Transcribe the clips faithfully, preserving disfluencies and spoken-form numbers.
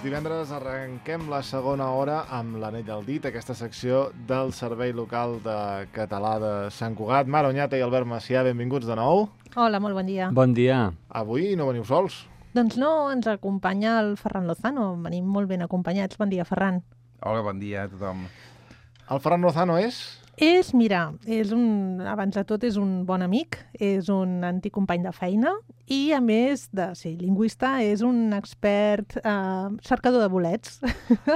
divendres arrenquem la segona hora amb l'Anell al dit, aquesta secció del Servei Local de Català de Sant Cugat. Mara Oñate i Albert Macià, benvinguts de nou. Hola, molt bon dia. Bon dia. Avui no veniu sols. Doncs no, ens acompanya el Ferran Lozano. Venim molt ben acompanyats. Bon dia, Ferran. Hola, bon dia a tothom. El Ferran Lozano és... És, mira, és un, abans de tot és un bon amic, és un antic company de feina i, a més de ser lingüista, és un expert eh, cercador de bolets.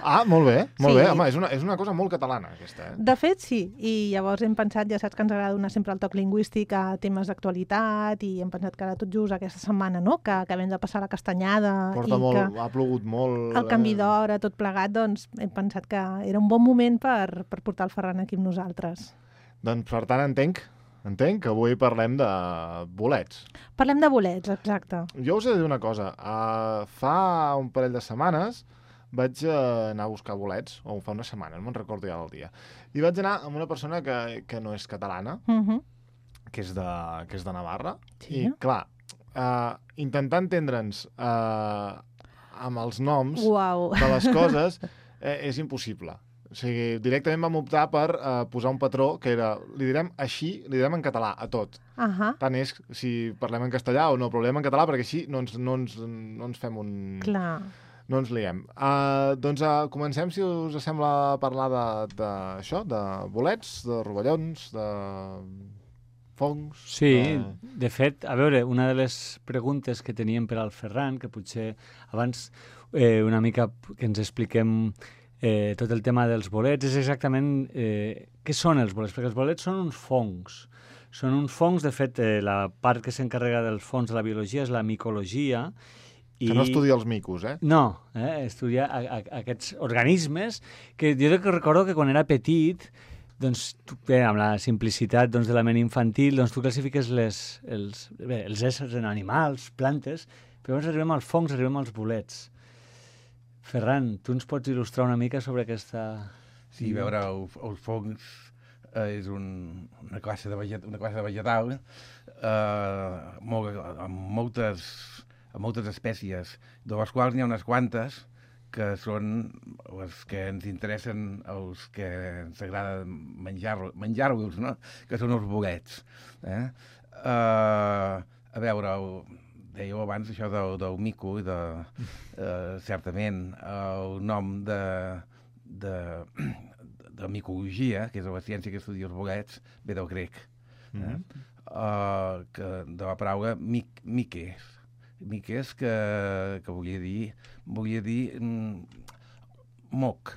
Ah, molt bé, molt Sí. bé. Home, és una, és una cosa molt catalana, aquesta. Eh? De fet, sí, i llavors hem pensat, ja saps que ens agrada donar sempre el toc lingüístic a temes d'actualitat i hem pensat que ara tot just aquesta setmana, no?, que acabem de passar la castanyada Porta i molt, que ha plogut molt... el canvi d'hora, tot plegat, doncs hem pensat que era un bon moment per, per portar el Ferran aquí amb nosaltres. Doncs, per tant, entenc, entenc que avui parlem de bolets. Parlem de bolets, exacte. Jo us he de dir una cosa. Uh, fa un parell de setmanes vaig uh, anar a buscar bolets, o fa una setmana, no me'n recordo ja del dia. I vaig anar amb una persona que, que no és catalana, Uh -huh. que és de, que és de Navarra. Sí. I, clar, uh, intentar entendre'ns uh, amb els noms Uau. de les coses eh, és impossible. O sigui, directament vam optar per uh, posar un patró que era, li direm així, li direm en català, a tot. Ahà, Tant és si parlem en castellà o no, però parlem en català perquè així no ens, no ens, no ens fem un... clar. No ens liem. Uh, doncs uh, comencem, si us sembla, a parlar de, de, això, de bolets, de rovellons, de fongs... Sí, De... de fet, a veure, una de les preguntes que teníem per al Ferran, que potser abans eh, una mica que ens expliquem eh, tot el tema dels bolets, és exactament eh, què són els bolets, perquè els bolets són uns fongs. Són uns fongs, de fet, eh, la part que s'encarrega dels fongs de la biologia és la micologia. Que no estudia els micos, eh? No, eh, estudiar a, a, aquests organismes que jo que recordo que quan era petit, doncs, tu, bé, amb la simplicitat doncs, de la ment infantil, doncs tu classifiques les, els, bé, els éssers en animals, plantes, però llavors arribem als fongs, arribem als bolets. Ferran, tu ens pots il·lustrar una mica sobre aquesta... Sí, a veure, el, els fongs eh, és un, una, classe de veget, una classe de vegetal eh, molt, amb, moltes, amb moltes espècies, de les quals n'hi ha unes quantes que són les que ens interessen, els que ens agrada menjar-los, menjar-los, no? Que són els bolets. Eh? Uh, a veure, el, dèieu abans això del, del mico, i de, uh, certament el nom de, de, de micologia, que és la ciència que estudia els bolets, ve del grec, eh? Mm-hmm. uh, que, de la paraula mic, miques, miques que, que volia dir, volia dir mm, moc.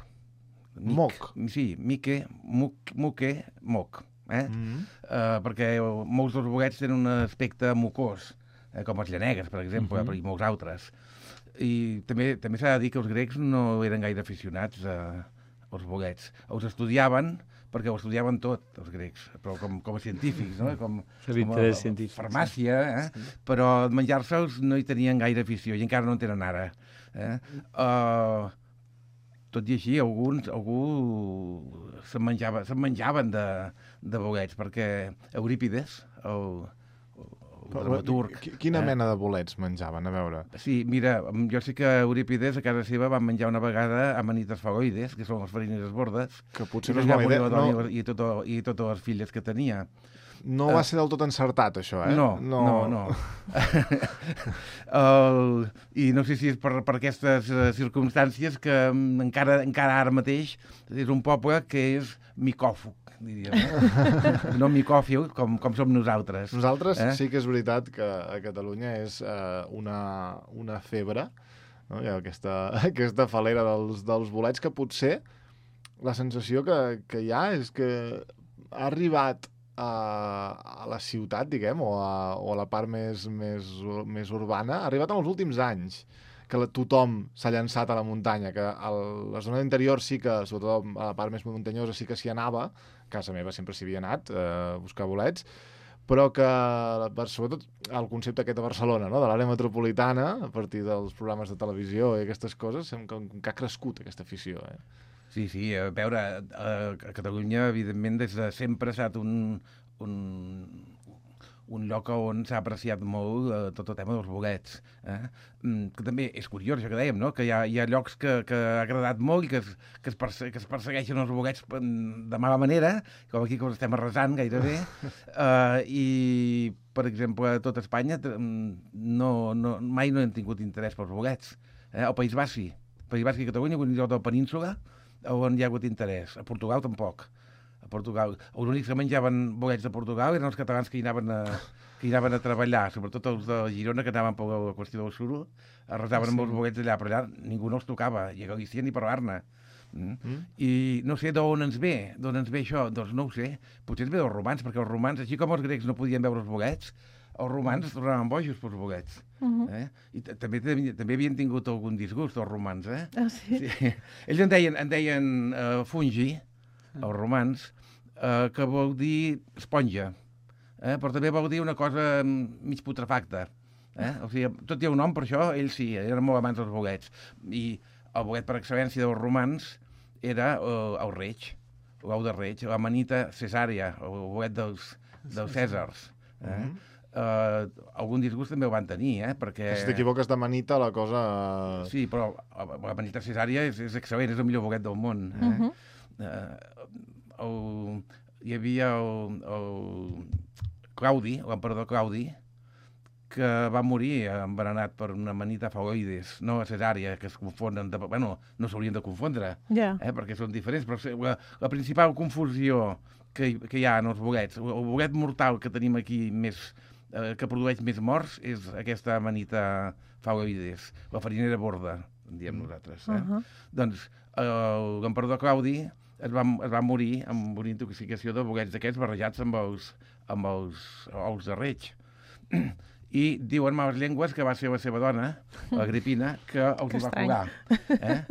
Mic. Moc? Sí, mique, muc, muque, moc. Eh? Mm-hmm. Uh, perquè molts dels bolets tenen un aspecte mucós, eh, com els llanegues, per exemple, Uh-huh. i molts altres. I també també s'ha de dir que els grecs no eren gaire aficionats a, als bolets. Els estudiaven perquè ho estudiaven tot, els grecs, però com, com a científics, no? Com, com a, a farmàcia, eh? Sí. Però menjar-se'ls no hi tenien gaire afició, i encara no en tenen ara. Eh? Uh, tot i així, alguns, algú se'n menjava, se menjaven de, de bolets, perquè Eurípides, el, el dramaturg... Quina eh? mena de bolets menjaven, a veure? Sí, mira, jo sé que Eurípides a casa seva van menjar una vegada amanites faloides, que són les farines bordes, Que potser i, no és bona idea. no... i, tot, i totes les filles que tenia. No va ser del tot encertat, això, eh? No, no, no. no. el, I no sé si és per, per aquestes uh, circumstàncies que um, encara, encara ara mateix és un poble que és micòfug, diríem. No, no micòfil, com, com som nosaltres. Nosaltres eh? sí que és veritat que a Catalunya és eh, una, una febre, no? Hi ha aquesta, aquesta falera dels, dels bolets, que potser la sensació que, que hi ha és que ha arribat a, a la ciutat, diguem, o a, o a la part més, més, més urbana, ha arribat en els últims anys, que la, tothom s'ha llançat a la muntanya, que a la zona interior sí que, sobretot a la part més muntanyosa, sí que s'hi anava, a casa meva sempre s'hi havia anat eh, a buscar bolets, però que, sobretot, el concepte aquest de Barcelona, no? De l'àrea metropolitana, a partir dels programes de televisió i aquestes coses, sembla que, que ha crescut aquesta afició, eh? Sí, sí, a veure, a, a Catalunya, evidentment, des de sempre ha estat un, un, un lloc on s'ha apreciat molt eh, tot el tema dels bolets. Eh? Mm, que també és curiós, això que dèiem, no? Que hi ha, hi ha llocs que, que ha agradat molt i que es, que es, perse que es persegueixen els bolets de mala manera, com aquí que els estem arrasant gairebé, eh, i, per exemple, a tot Espanya no, no, mai no hem tingut interès pels bolets. Eh? El País Basc sí. El País Basc i Catalunya, un lloc de la península, on hi ha hagut interès. A Portugal tampoc. A Portugal. Els únics que menjaven bolets de Portugal eren els catalans que hi anaven a, que hi anaven a treballar, sobretot els de Girona, que anaven per la qüestió del suro, arrasaven sí. amb els bolets allà, però allà ningú no els tocava, i a Galícia ni parlar-ne. Mm? Mm? I no sé d'on ens ve, d'on ens ve això, doncs no ho sé. Potser ens ve dels romans, perquè els romans, així com els grecs no podien veure els bolets, els romans es tornaven bojos pels bolets. Uh -huh. eh? I també, també havien tingut algun disgust, els romans. Eh? Ah, sí? Sí. Ells en deien, en deien uh, fungi, els romans, uh, que vol dir esponja, eh? però també vol dir una cosa mig putrefacta. Eh? O sigui, tot hi ha un nom per això, ells sí, eren molt amants dels bolets. I el bolet per excel·lència dels romans era uh, el reig, l'ou de reig, l'amanita cesària, el bolet dels, dels cèsars. Eh? Uh -huh. Uh, algun disgust també ho van tenir, eh? Perquè... Si t'equivoques de manita, la cosa... Sí, però la manita cesària és, és excel·lent, és el millor bolet del món. Eh? Uh -huh. uh, el, hi havia el, el Claudi, l'emperador Claudi, que va morir envenenat per una manita faloides, no a cesària, que es confonen... De, bueno, no s'haurien de confondre, yeah. eh? perquè són diferents, però la, la principal confusió que, que hi ha en els bolets, el bolet mortal que tenim aquí més... que produeix més morts és aquesta amanita faloides, la farinera borda, en diem nosaltres. Eh? Uh -huh. Doncs l'emperador Claudi es va, es va morir amb una intoxicació de bolets d'aquests barrejats amb els, amb els ous de reig. I diuen males llengües que va ser la seva dona, l'Agripina, que els que hi va curar, eh?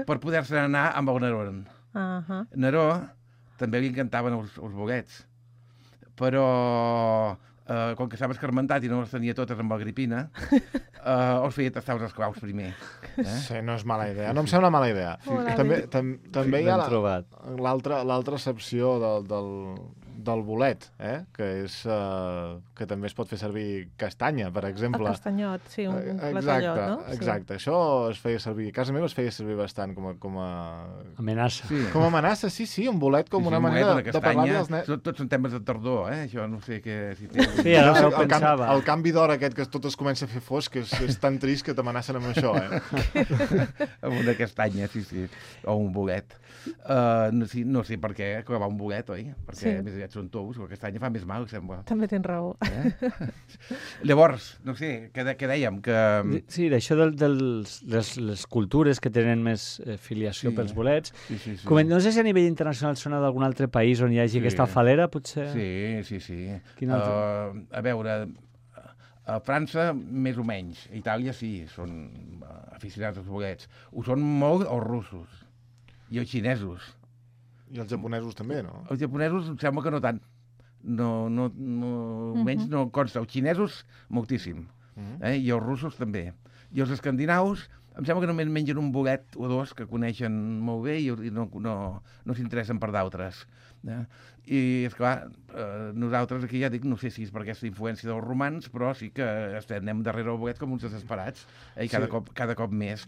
per poder-se anar amb el Neró. Uh -huh. Neró també li encantaven els, els bolets, però... Uh, com que estava escarmentat i no les tenia totes amb Agripina, uh, els feia tastar els esclaus primer. Eh? Sí, no és mala idea. No em sembla mala idea. Sí. També, tam, també hi ha l'altra la, excepció del, del, del bolet, eh? que, és, uh, que també es pot fer servir castanya, per exemple. El castanyot, sí, un, un platallot, no? Exacte, sí. Això es feia servir, a casa meva es feia servir bastant com a... Com a... amenaça. Sí. Com a amenaça, sí, sí, un bolet com sí, una sí, manera bolet, de, de parlar dels nens. Tots són temes de tardor, eh? Això no sé què... Si té... Sí, ara no, el, pensava. Canvi, el canvi d'hora aquest que tot es comença a fer fosc és, és tan trist que t'amenacen amb això, eh? Amb una castanya, sí, sí. O un bolet. Uh, no, sí, no sé per què clavar un bolet, oi? Perquè sí. més aviat són tous, la castanya fa més mal, sembla. També tens raó. Eh? Llavors, no sé, què, de, què dèiem? Que... Sí, d'això de, de les, les cultures que tenen més eh, filiació sí. pels bolets. Sí, sí, sí. Com, no sé si a nivell internacional sona d'algun altre país on hi hagi sí. aquesta falera, potser... Sí, sí, sí. Quin altre? Uh, a veure, a França més o menys, a Itàlia sí, són aficionats als bolets. Ho són molt els russos i els xinesos. I els japonesos també, no? Els japonesos em sembla que no tant. No, no, no, uh -huh. menys no consta. Els xinesos, moltíssim. Uh -huh. eh? I els russos també. I els escandinaus, em sembla que només mengen un bolet o dos que coneixen molt bé i, i no, no, no s'interessen per d'altres. Eh? I, esclar, eh, nosaltres aquí ja dic, no sé si és per aquesta influència dels romans, però sí que estem, anem darrere el bolet com uns desesperats, eh? I cada, sí. cop, cada cop més.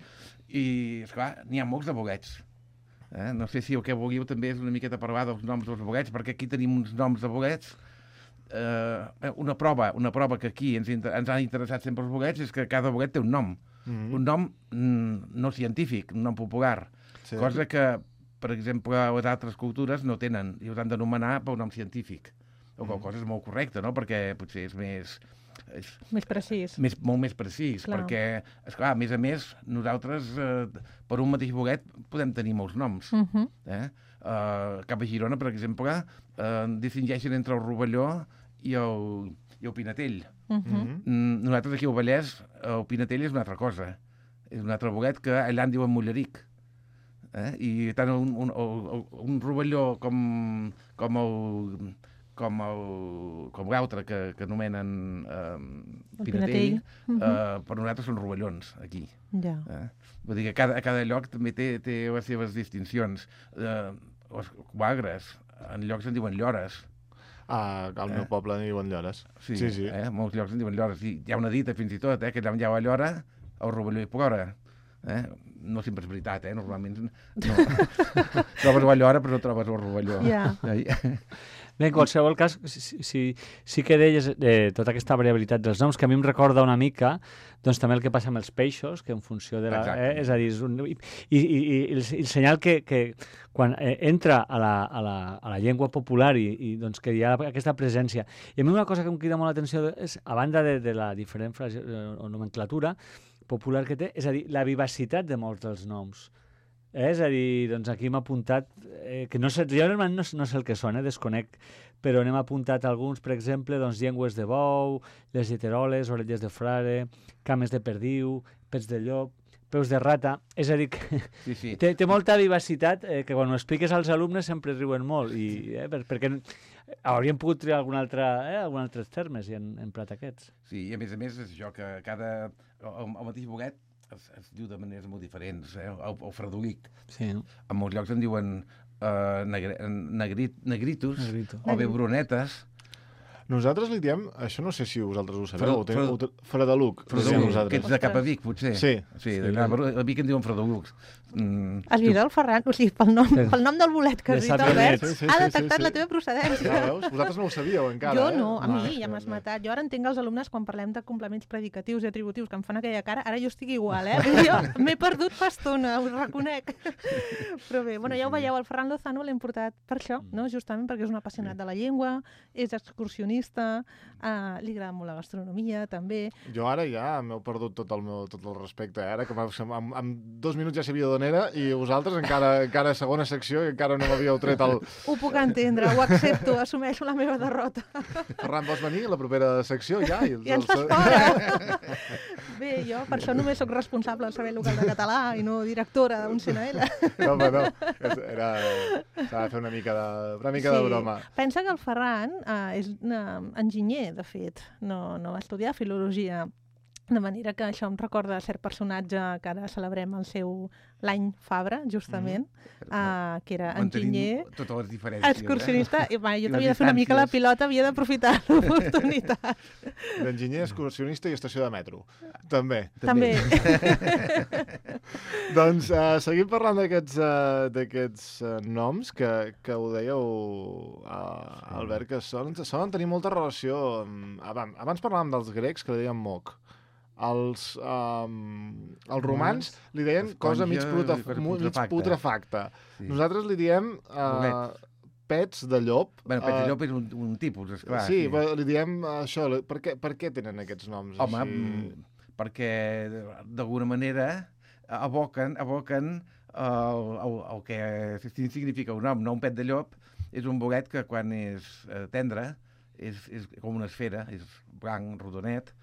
I, esclar, n'hi ha molts de bolets. Eh? No sé si el que volíeu també és una miqueta parlar dels noms dels bolets, perquè aquí tenim uns noms de bolets. Eh, una prova una prova que aquí ens, ens han interessat sempre els bolets és que cada bolet té un nom. Mm-hmm. Un nom mm, no científic, un nom popular. Sí. Cosa que, per exemple, les altres cultures no tenen i us han d'anomenar pel nom científic. O qual cosa és molt correcta, no? Perquè potser és més... És, més precís. Més, molt més precís, clar. Perquè, esclar, a més a més, nosaltres, eh, per un mateix bolet, podem tenir molts noms. Uh-huh. eh? uh, cap a Girona, per exemple, uh, distingeixen entre el rovelló i el, i el pinatell. Uh-huh. mm, nosaltres aquí al Vallès, el pinatell és una altra cosa. És un altre bolet que allà en diuen mulleric. Eh? I tant un, un, un, un rovelló com, com el... com el, com l'altre que, que anomenen eh, pinatell, uh -huh. eh, per nosaltres són rovellons, aquí. Ja. Eh? Vull dir que cada, cada lloc també té, té les seves distincions. Eh, els quagres, en llocs en diuen llores. Ah, al meu poble en diuen llores. Sí, sí. sí. Eh? Molts llocs en diuen llores. I hi ha una dita, fins i tot, eh? que allà on hi ha la llora, el rovelló hi plora. Eh? No sempre és veritat, eh? Normalment no. Trobes la llora, però no trobes el rovelló. Ja. Bé, en qualsevol cas, sí, sí, sí que deies eh, tota aquesta variabilitat dels noms, que a mi em recorda una mica doncs, també el que passa amb els peixos, que en funció de la... Eh, és a dir, és un, i, i, i, el, i el senyal que, que quan eh, entra a la, a, la, a la llengua popular i, i doncs, que hi ha aquesta presència. I a mi una cosa que em crida molt l'atenció és, a banda de, de la diferent frase, eh, o nomenclatura popular que té, és a dir, la vivacitat de molts dels noms. Eh? És a dir, doncs aquí hem apuntat, eh, que no sé, jo no, no sé el que són, eh, desconec, però n'hem apuntat alguns, per exemple, doncs, llengües de bou, les lleteroles, orelles de frare, cames de perdiu, pets de llop, peus de rata, és a dir, que sí, sí. té, té molta vivacitat, eh, que quan ho expliques als alumnes sempre riuen molt, i, eh, per, perquè hauríem pogut triar algun altre, eh, algun altres termes i hem emprat aquests. Sí, i a més a més és això que cada... el, el mateix bolet es, es diu de maneres molt diferents, eh? el, el fredolic. Sí. En molts llocs en diuen uh, negre, negrit, negritos, Negrito. o bé brunetes. Nosaltres li diem, això no sé si vosaltres ho sabeu, Fred, Fred, Fred, Fredeluc. Fredeluc, que ets de cap a Vic, potser. Sí. Sí, sí. a Vic en diuen Fredelucs. Mm, Has vist el Ferran? O sigui, pel nom, pel nom del bolet que has dit, Albert, sí, sí, ha sí, detectat sí, sí. la teva procedència. Ja veus? Vosaltres no ho sabíeu encara, jo eh? no, a mi Ah, ja m'has no. matat. Jo ara entenc els alumnes quan parlem de complements predicatius i atributius que em fan aquella cara, ara jo estic igual, eh? Jo m'he perdut fa estona, ho reconec. Però bé, bueno, ja ho veieu, el Ferran Lozano l'hem portat per això, no? Justament perquè és un apassionat de la llengua, és excursionista, eh, li agrada molt la gastronomia, també. Jo ara ja m'heu perdut tot el meu tot el respecte, eh? Ara que en, en dos minuts ja sabia d'on era i vosaltres encara, encara segona secció i encara no m'havíeu tret el... Ho puc entendre, ho accepto, assumeixo la meva derrota. Ferran, vols venir a la propera secció ja? I, I ens fas fora. Bé, jo per això només sóc responsable del Servei Local de Català i no directora d'un C N L. No, home, no. Era... S'ha de fer una mica de, una mica Sí. de broma. Pensa que el Ferran eh, és uh, enginyer, de fet, no, no va estudiar filologia, de manera que això em recorda cert personatge que ara celebrem el seu l'any Fabra, justament, mm. uh, que era enginyer, totes les diferències, excursionista, eh? i va, jo I t'havia les de fer una mica la distàncies. pilota, havia d'aprofitar l'oportunitat. D'enginyer, excursionista i estació de metro. També. També. Doncs uh, seguim parlant d'aquests uh, d'aquests uh, noms que, que ho dèieu, uh, Albert, que solen, solen tenir molta relació amb... Abans, abans parlàvem dels grecs, que li deien moc. Els, um, els romans li deien cosa mig, Esponja, putref cosa mig putrefacta. putrefacta. Sí. Nosaltres li diem uh, Bolet. pets de llop. Bueno, pet de uh, llop és un, un tipus, esclar. sí, sí. Li diem uh, això. Per què, per què tenen aquests noms? Home, així? mm, perquè d'alguna manera aboquen, aboquen el, el, el que significa un nom, no un pet de llop, és un bolet que quan és eh, tendre, és, és com una esfera, és blanc, rodonet,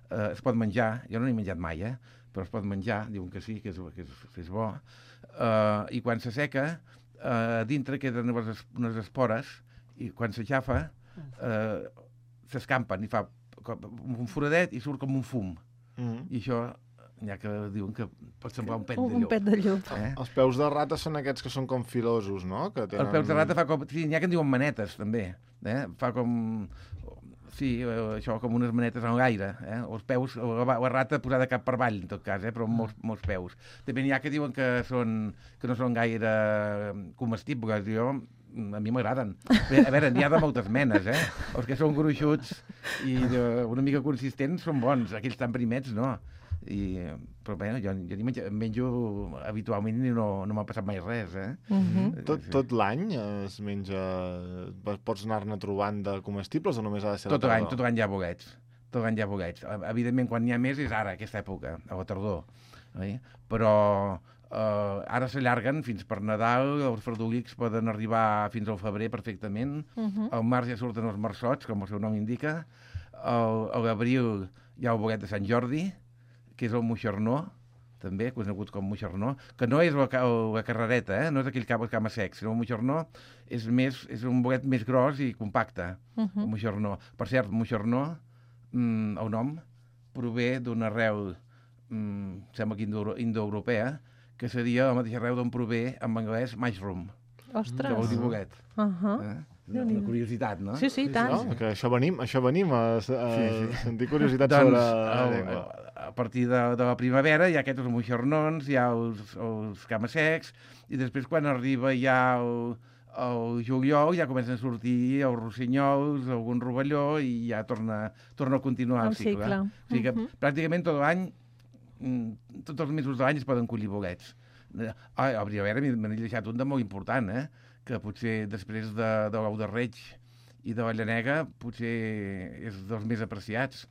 eh, es pot menjar, jo no n'he menjat mai, eh, però es pot menjar, diuen que sí, que és, que és, que és bo, eh, i quan s'asseca, eh, dintre queden unes, unes espores, i quan s'aixafa, eh, s'escampen, i fa com un foradet i surt com un fum. Mm-hmm. I això, n'hi ha que diuen que pot semblar un pet Un, de un llop. pet de llop. Eh? Els peus de rata són aquests que són com filosos, no? Que tenen... Els peus de rata fa com... Sí, n'hi ha que en diuen manetes, també. Eh? Fa com... Sí, eh, això, com unes manetes en l'aire. Eh? Els peus, la, la rata posada cap per avall, en tot cas, eh? però amb molts, molts peus. També n'hi ha que diuen que, són, que no són gaire comestibles. Jo, a mi m'agraden. A veure, n'hi ha de moltes menes, eh? Els que són gruixuts i de, una mica consistents són bons. Aquells tan primets, no. I, però bé, jo, jo ni menjo, menjo habitualment i no, no m'ha passat mai res, eh? Uh-huh. Tot, tot l'any es menja... Pots anar-ne trobant de comestibles o només ha de ser Tot la l'any, tardor? tot l'any hi ha bolets. Tot l'any hi ha bolets. Evidentment, quan n'hi ha més és ara, aquesta època, a la tardor. Eh? Però eh, ara s'allarguen fins per Nadal, els fredolics poden arribar fins al febrer perfectament, Uh-huh. al març ja surten els marsots, com el seu nom indica, al, a l'abril hi ha el bolet de Sant Jordi, que és el moixernó, també, conegut com moixernó, que no és la, la carrereta, eh? No és aquell cap, cama sec, sinó el moixernó és, més, és un bolet més gros i compacte, Uh-huh. el moixernó. Per cert, moixernó, mm, el nom, prové d'una arrel, mm, sembla que indo, indoeuropea, que seria la mateixa arrel d'on prové, en anglès, mushroom, que vol Ostres. dir bolet. Uh-huh. Eh? una, una curiositat, no? Sí, sí, tant. No? Que això venim, això venim a, a Sí, sí. sentir curiositat Doncs, sobre la el, llengua. a partir de, de la primavera hi ha aquests moixernons, hi ha els, els camassecs, i després quan arriba ja el, el juliol ja comencen a sortir els rossinyols, algun rovelló, i ja torna, torna a continuar el, El cicle. cicle. O sigui que Mhm. pràcticament tot l'any, mm, tots els mesos de l'any es poden collir bolets. Ah, a primavera me n'he deixat un de molt important, eh? Que potser després de, de l'ou de reig i de la llanega potser és dels més apreciats,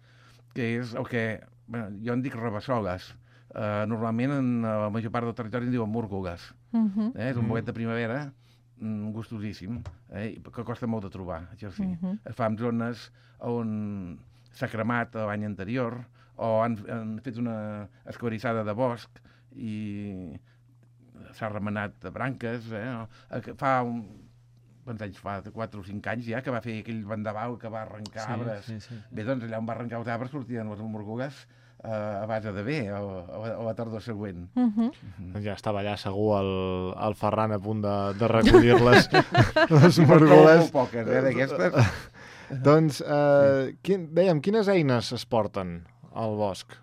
que és el que, bueno, jo en dic rabassoles. Uh, normalment en la major part del territori en diuen múrgoles. Mhm. Eh? És un Mm. bolet de primavera mm, gustosíssim, eh? i que costa molt de trobar, això sí. Mhm. Es fa en zones on s'ha cremat l'any anterior o han, han fet una esquarissada de bosc i s'ha remenat de branques. Eh? Fa un, quants anys fa? quatre o cinc anys ja, que va fer aquell vendaval que va arrencar arbres. Sí, sí. Bé, doncs allà on va arrencar els arbres sortien les morgugues eh, a base de bé, a, a, a la tardor següent. Mhm. Ja estava allà segur el, el Ferran a punt de, de recollir-les, les Però trobo morgoles. molt poques, eh, d'aquestes. Doncs, eh, quin, dèiem, quines eines es porten al bosc?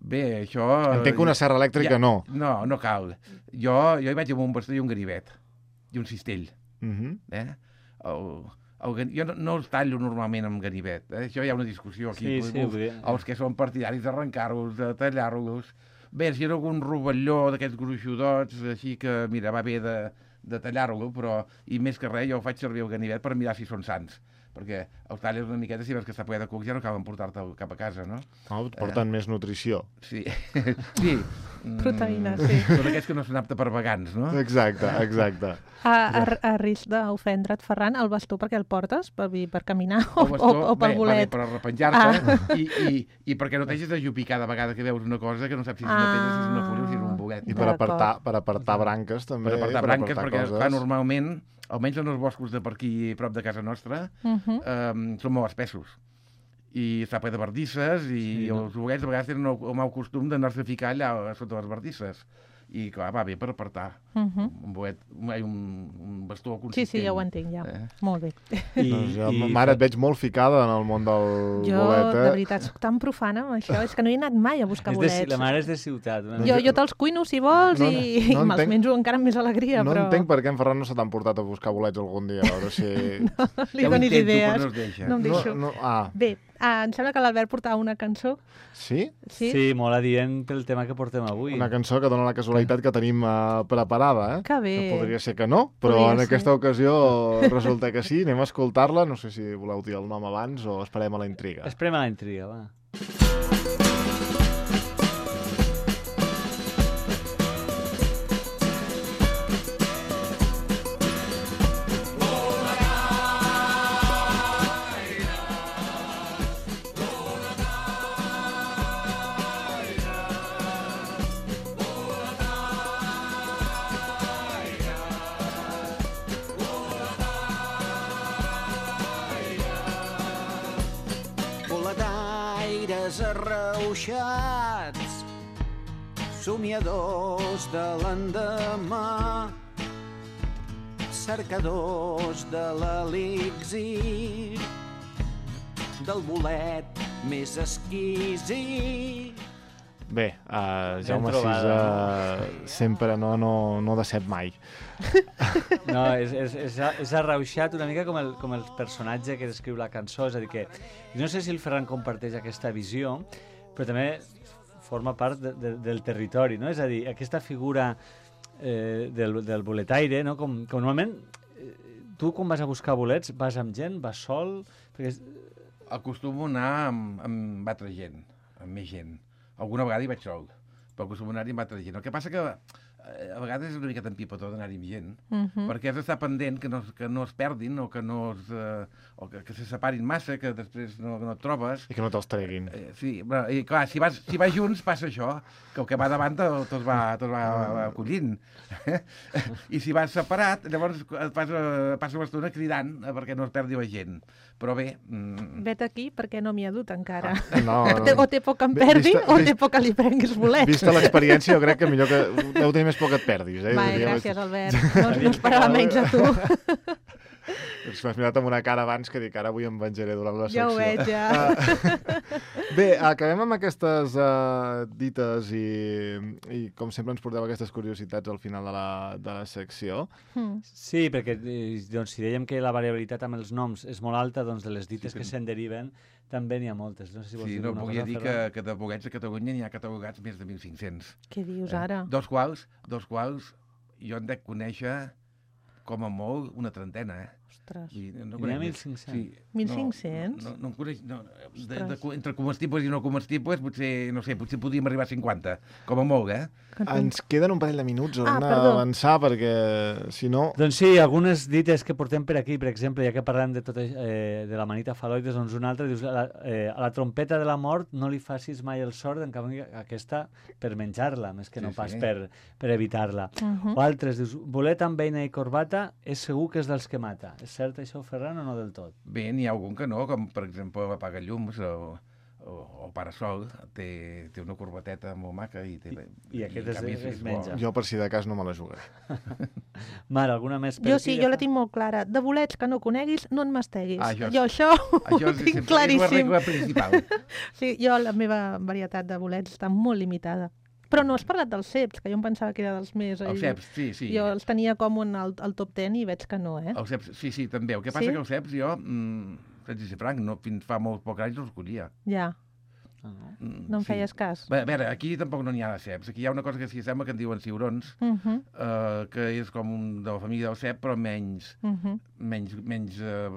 Bé, això... Entenc que una serra elèctrica Ja- no. No, no cal. Jo, jo hi vaig amb un bastó i un ganivet. I un cistell. Mhm. Eh? El, el, gan- jo no, no els tallo normalment amb ganivet. Eh? Això hi ha una discussió aquí. Sí, sí, els, vull dir- els que són partidaris d'arrencar-los, de tallar-los. Bé, si era algun rovelló d'aquests gruixudots, així que, mira, va bé de, de tallar-lo, però, i més que res, jo faig servir el ganivet per mirar si són sants. Perquè els talles una miqueta, si veus que està ple de cucs, ja no cal emportar-te'l cap a casa, no? No, et porten més nutrició. Sí, sí. Mm, Proteïnes, sí. Són aquests que no són aptes per vegans, no? Exacte, exacte. A, a, a risc d'ofendre't, Ferran, el bastó per què el portes? Per, per caminar o, El bastó, o, o pel bé, va bé bolet? per arrepenjar-te, Ah. i, i, i perquè no t'hagis d'ajupir cada vegada que veus una cosa que no saps si és una pedra, si és una fulla o si és un bolet. I per D'acord. apartar, per apartar branques, també. Per apartar branques, perquè coses. clar, normalment, almenys en els boscos de per aquí, prop de casa nostra, Mhm. eh, són molt espessos. I està ple de bardisses, i Sí, no? els bolets a vegades tenen el, el mal costum d'anar-se a ficar allà sota les bardisses. I clar, va bé per apartar. Mhm. Un bolet, un, un, un bastó Sí, consistent. sí, ja ho entenc, ja. Eh? Molt bé. I, Doncs jo, i- mare, et veig molt ficada en el món del Jo, bolet, de eh? veritat, soc tan profana amb això. És que no he anat mai a buscar és de, bolets. la mare és de ciutat. Una Jo, mica. jo te'ls cuino, si vols, No, i, no i me'ls entenc- menjo encara amb més alegria, No però entenc per què en Ferran no se t'han portat a buscar bolets algun dia, a veure si... li Ja ho donis intento, idees. però no es deixa. No em deixo. No, no, ah, Bé, ah, em sembla que l'Albert portava una cançó. sí? Sí? Sí, molt adient pel tema que portem avui. Una cançó que dona la casualitat que tenim uh, preparada, eh? Que bé. Que podria ser que no, però Podria en ser. aquesta ocasió resulta que sí. Anem a escoltar-la. No sé si voleu dir el nom abans o esperem a la intriga. Esperem a la intriga, va. Boletaires arreuixats, somiadors de l'endemà, cercadors de l'elixir, del bolet més exquisit. Bé, uh, Jaume trobada. Sisa sempre no, no, no decep mai. No, és, és, és, és arrauxat una mica com el, com el personatge que descriu la cançó, és a dir que no sé si el Ferran comparteix aquesta visió, però també forma part de, de, del territori, no? És a dir, aquesta figura eh, del, del boletaire, no? Com, com normalment eh, tu quan vas a buscar bolets vas amb gent, vas sol, perquè és- Acostumo a anar amb, amb altra gent, amb més gent. Alguna vegada hi vaig sol, però acostumo a anar-hi amb altra gent. El que passa que eh, a vegades és una miqueta empipató d'anar-hi amb gent, Mhm. perquè has d'estar pendent que no, que no es perdin o que no es, eh, o que, que se separin massa, que després no, no et trobes. I que no te'ls treguin. Eh, sí, però, i clar, si vas, si vas junts passa això, que el que va davant te'l te'ls va, te'ls va acollint. I si vas separat, llavors et passa, passa l'estona cridant eh, perquè no es perdi la gent. Però bé... Mm, Vet aquí perquè no m'hi ha dut encara. No, O té, o té por que em Vi- perdi vista- o vist- té por que li prenguis bolets. Vista l'experiència, jo crec que millor que... Deu tenir més por que et perdis, eh? Va, Diria- gràcies, Albert. No, no esperava menys a tu. És que m'has mirat amb una cara abans que dic, ara avui em venjaré durant la secció. Ja ho veig, ja. Uh, bé, acabem amb aquestes uh, dites i, i com sempre ens porteu aquestes curiositats al final de la, de la secció. Mm. Sí, perquè eh, doncs, si dèiem que la variabilitat amb els noms és molt alta, doncs de les dites Sí, que que- se'n deriven també n'hi ha moltes. No sé si vols Sí, dir no, alguna volia cosa, dir que, Ferran? que de bolets a Catalunya n'hi ha catalogats més de mil cinc-cents. Què dius ara? Dos quals, dos quals jo en dec conèixer com a molt una trentena, eh? Ostres. I no N'hi ha conec mil més. cinc-cents? Sí, mil no, cinc-cents? No, no, no en coneix... No, de, de, Ostres. entre comestibles i no comestibles, potser, no sé, potser podríem arribar a cinquanta, com a molt, eh? Que tu- Ens queden un parell de minuts, Ah, haurem perdó. d'avançar perquè, si no... Doncs sí, algunes dites que portem per aquí, per exemple, ja que parlem de, tot, eh, de la manita faloides, doncs una altra, dius, a la, eh, a la trompeta de la mort no li facis mai el sord, en canvi aquesta per menjar-la, més que Sí, no pas sí. per, per evitar-la. Mhm. O altres, dius, bolet amb beina i corbata és segur que és dels que mata. És cert això, Ferran, o no del tot? Bé, n'hi ha algun que no, com per exemple apaga llums o, o, o Parasol, té, té una corbateta molt maca i té... I aquest en es- canvi es bo. menja. Jo, per si de cas, no me la jugaré. Mar, alguna més per Jo aquí? sí, jo la tinc molt clara. De bolets que no coneguis, no en masteguis. Ah, això és- Jo això Això ho és, tinc sempre- és la claríssim. regla principal. Sí, jo la meva varietat de bolets està molt limitada. Però no has parlat dels ceps, que jo em pensava que era dels més... Els ceps, sí, sí. Jo els tenia com un, al, al top ten i veig que no, eh? Els ceps, sí, sí, també. El que passa Sí? que els ceps jo, mm, saps dir franc, no, fins fa molt poc anys no els collia. Ja, Ah, no? Mm, no em sí. feies cas. Bé, a veure, aquí tampoc no n'hi ha de ceps. Aquí hi ha una cosa que s'hi sembla que en diuen ciurons, Uh -huh, eh, que és com un de la família del cep, però menys, uh -huh, menys, menys eh,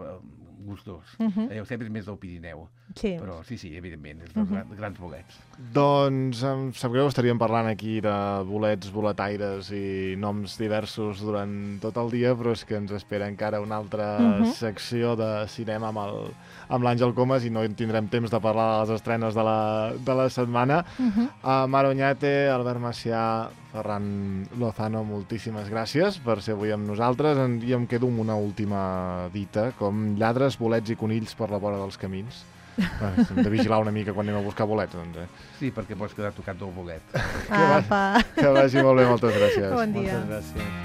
gustós. uh -huh. Eh, el cep és més del Pirineu. Sí. Però sí, sí, evidentment, és dels Mhm. uh -huh. grans bolets. Doncs em sap greu, estaríem parlant aquí de bolets, boletaires i noms diversos durant tot el dia, però és que ens espera encara una altra Mhm. secció de cinema amb el- amb l'Àngel Comas i no en tindrem temps de parlar de les estrenes de la, de la setmana. Uh -huh. A Mar Oñate, Albert Macià, Ferran Lozano, moltíssimes gràcies per ser avui amb nosaltres. En- I em quedo amb una última dita, com lladres, bolets i conills per la vora dels camins. Bé, hem de vigilar una mica quan anem a buscar bolets, doncs, eh? Sí, perquè pots quedar tocat del bolet. Apa. Que vagi molt bé, moltes gràcies. Bon dia. Moltes gràcies.